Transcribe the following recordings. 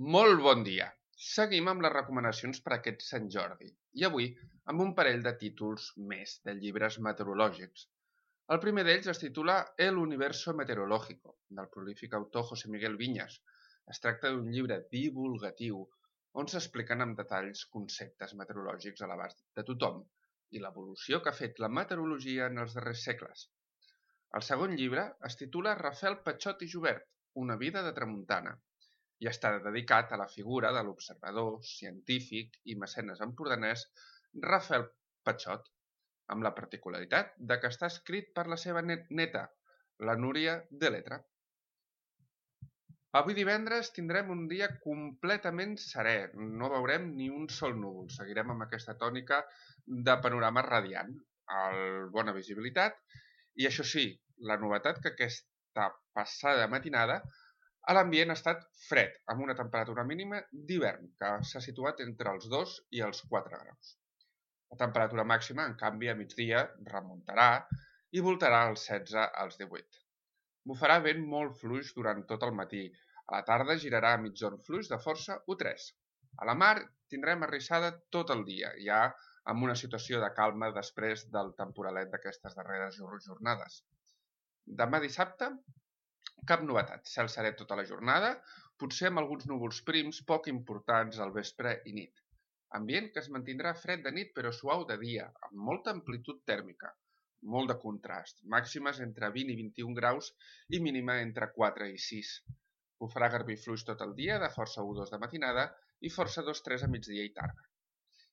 Molt bon dia! Seguim amb les recomanacions per a aquest Sant Jordi i avui amb un parell de títols més de llibres meteorològics. El primer d'ells es titula El universo meteorológico, del prolífic autor José Miguel Viñas. Es tracta d'un llibre divulgatiu on s'expliquen amb detalls conceptes meteorològics a l'abast de tothom i l'evolució que ha fet la meteorologia en els darrers segles. El segon llibre es titula Rafael Patxot i Jubert, una vida de tramuntana, i està dedicat a la figura de l'observador, científic i mecenes empordanès Rafael Patxot, amb la particularitat de que està escrit per la seva neta, la Núria de Letra. Avui divendres tindrem un dia completament serè, no veurem ni un sol núvol, seguirem amb aquesta tònica de panorama radiant, bona visibilitat, i això sí, la novetat que aquesta passada matinada a l'ambient ha estat fred, amb una temperatura mínima d'hivern, que s'ha situat entre els 2 i els 4 graus. La temperatura màxima, en canvi, a migdia remuntarà i voltarà als 16 als 18. Bufarà vent molt fluix durant tot el matí. A la tarda girarà a migjorn fluix de força U3. A la mar tindrem arrissada tot el dia, ja amb una situació de calma després del temporalet d'aquestes darreres jornades. Demà dissabte, cap novetat, cel serè tota la jornada, potser amb alguns núvols prims poc importants al vespre i nit. Ambient que es mantindrà fred de nit però suau de dia, amb molta amplitud tèrmica, molt de contrast, màximes entre 20 i 21 graus i mínima entre 4 i 6. Bufarà garbí fluix tot el dia, de força U2 de matinada i força 2-3 a migdia i tarda.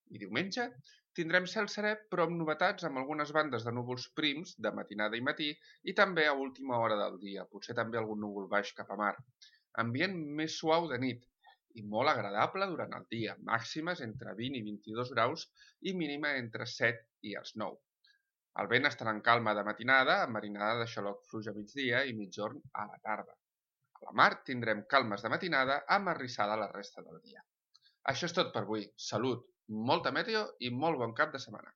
I diumenge tindrem cel serè però amb novetats amb algunes bandes de núvols prims de matinada i matí i també a última hora del dia, potser també algun núvol baix cap a mar. Ambient més suau de nit i molt agradable durant el dia, màximes entre 20 i 22 graus i mínima entre 7 i els 9. El vent estarà en calma de matinada, amb marinada de xaloc fluix a migdia i migjorn a la tarda. A la mar tindrem calmes de matinada amb arrissada la resta del dia. Això és tot per avui. Salut, molta meteo i molt bon cap de setmana.